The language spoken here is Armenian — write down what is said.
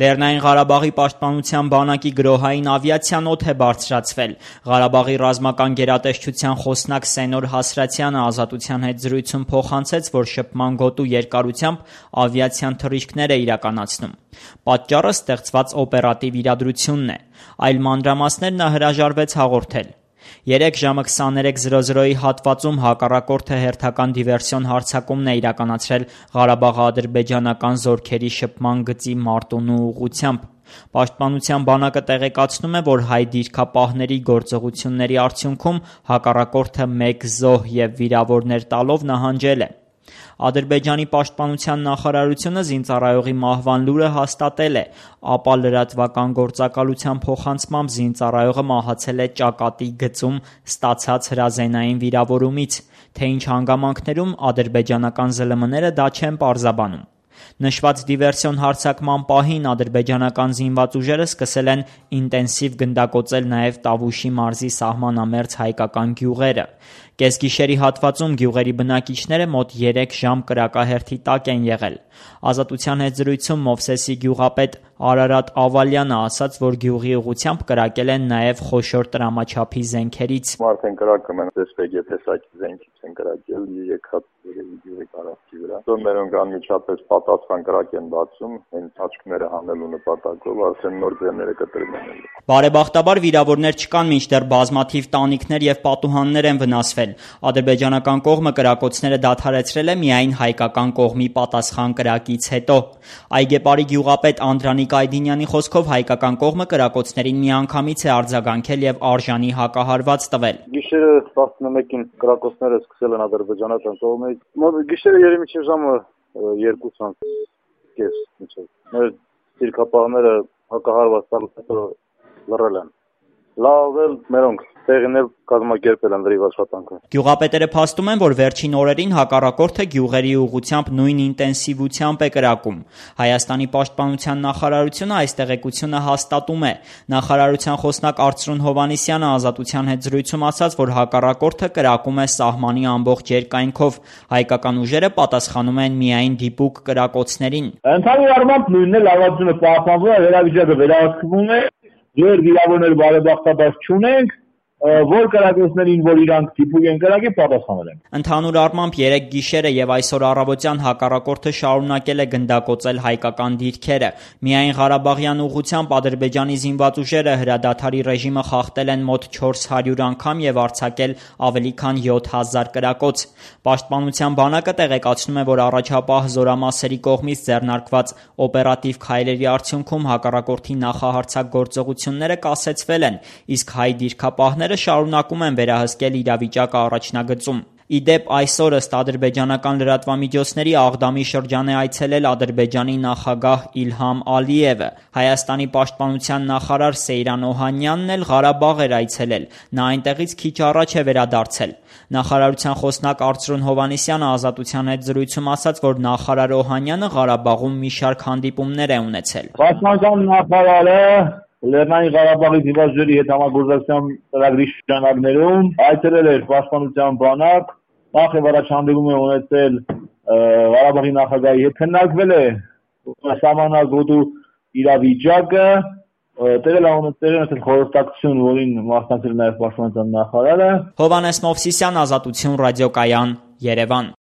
Լեռնային Ղարաբաղի պաշտպանության բանակի գրոհային ավիացիան օդ է բարձրացվել։ Ղարաբաղի ռազմական գերատեսչության խոսնակ Սենոր Հասրատյանը Ազատության հետ զրույցում փոխանցեց, որ շփման գոտու երկարությամբ ավիացիան թռիչքներ է իրականացնում։ Պատճառը ստեղծված օպերատիվ իրադրությունն է։ Այլ մանրամասներ նա հրաժարվեց հաղորդել։ 3 ժամը 23:00-ի հատվածում հակառակորդը հերթական դիվերսիոն հարձակումն է իրականացրել Ղարաբաղ-ադրբեջանական զորքերի շփման գծի Մարտունու ուղղությամբ։ Պաշտպանության բանակը տեղեկացնում է, որ հայ դիրքապահների գործողությունների արդյունքում հակառակորդը 1 զոհ և վիրավորներ տալով նահանջել է։ Ադրբեջանի պաշտպանության նախարարությունը զինծառայողի մահվան լուրը հաստատել է, ապա լրատվական գործակալության փոխանցմամբ զինծառայողը մահացել է ճակատի գծում ստացած հրազենային վիրավորումից, թե ինչ հանգամանքներում ադրբեջանական ԶԼՄ-ները դա չեն պարզաբանում։ Նշված դիվերսիոն հարձակման պահին ադրբեջանական զինված ուժերը սկսել են ինտենսիվ գնդակոծել նաև Տավուշի մարզի սահմանամերձ հայկական գյուղերը։ Կեսգիշերի հատվածում գյուղերի բնակիչները մոտ 3 ժամ կրակահերթի տակ են եղել։ Ազատության հետ զրույցում Մովսեսի գյուղապետ Արարատ Ավալյանը ասաց, որ գյուղի ուղղությամբ կրակել են նաև խոշոր տրամաչափի զենքերից։ Մարդեն կրակում են տեսպեգե տեսակի զենքից են կրակել եկած գյուղի տարածքի վրա։ Մերոնք անմիջապես պատասխան կրակ են բացում, հենց աչքները հանելու նպատակով արդեն նոր ձեռները կտրում են։ Բարեբախտաբար վիրավորներ չկան, մինչդեռ բազմաթիվ տանիքներ և պատուհաններ են վնասվել։ Ադրբեջանական կողմը կրակոցները դադարեցրել է միայն հայկական կողմի պատասխան կրակից հետո։ Այգեպարի գյուղապետ Անդրանիկ Այդինյանի խոսքով հայկական կողմը կրակոցներին միանգամից է արձագանքել և արժանի հակահարված տվել։ Գիշերը 11-ին կրակոցները սկսել են ադրբեջանական կողմից։ Գիշերը երեմիջի ժամը 2:30 մեր դիրքապահները հակահարված տալուց հետո լռել են։ Լավ էլ մերոնք տեղին էլ կազմակերպել են լրիվ աշխատանքը։ Գյուղապետերը փաստում են, որ վերջին օրերին հակառակորդը գյուղերի ուղղությամբ նույն ինտենսիվությամբ է կրակում։ Հայաստանի պաշտպանության նախարարությունը այս տեղեկությունը հաստատում է։ Նախարարության խոսնակ Արծրուն Հովհաննիսյանը Ազատության հետ զրույցում ասաց, որ հակառակորդը կրակում է սահմանի ամբողջ երկայնքով։ Հայկական ուժերը պատասխանում են միայն դիպուկ կրակոցներին։ Ընդհանուր առմամբ նույնն է, լավությունը պահպանվում է, վերաբիջակը վերահսկվում է, ձեր վիրավորներ բարեբախտաբար չունենք, որ կրակոցներին, որ իրանք դիպուկ են կրակի, պատասխանել են։ Ընդհանուր առմամբ 3 գիշերը և այսօր առավոտյան հակառակորդը շարունակել է գնդակոծել հայկական դիրքերը։ Միայն Ղարաբաղյան ուղղությամբ ադրբեջանի զինված ուժերը հրադադարի ռեժիմը խախտել են մոտ 400 անգամ և արձակել ավելի քան 7000 կրակոց։ Պաշտպանության բանակը տեղեկացնում է, որ առաջապահ զորամասերի կողմից ձեռնարկված օպերատիվ քայլերի արդյունքում հակառակորդի նախահարձակ գործողությունները կասեցվել են, իսկ հայ դիրքապահները շարունակում են վերահսկել իրավիճակը առաջնագծում։ Ի դեպ, այսօր ըստ ադրբեջանական լրատվամիջոցների Աղդամի շրջան է այցելել Ադրբեջանի նախագահ Իլհամ Ալիևը։ Հայաստանի պաշտպանության նախարար Սեյրան Օհանյանն էլ Ղարաբաղ էր այցելել։ Նա այնտեղից քիչ առաջ է վերադարձել։ Նախարարության խոսնակ Արծրուն Հովհաննիսյանը Ազատության հետ զրույցում ասաց, որ նախարար Օհանյանը Ղարաբաղում մի շարք հանդիպումներ է ունեցել։ Պաշտպանության նախարարը Լեռնային Ղարաբաղի զինված հետ համագործակցության ծրագրի շրջանակներում այցելել էր պաշտպանության բանակ, նախ եւ առաջ հանդիպում է ունեցել Ղարաբաղի նախագահի հետ, քննարկվել է սահմանագոտու իրավիճակը, տեղել ունեցել խորհրդակցություն, որին մասնակցել նաև պաշտպանության նախարարը։ Հովհաննես Մովսիսյան, Ազատություն ռադիոկայան, Երևան։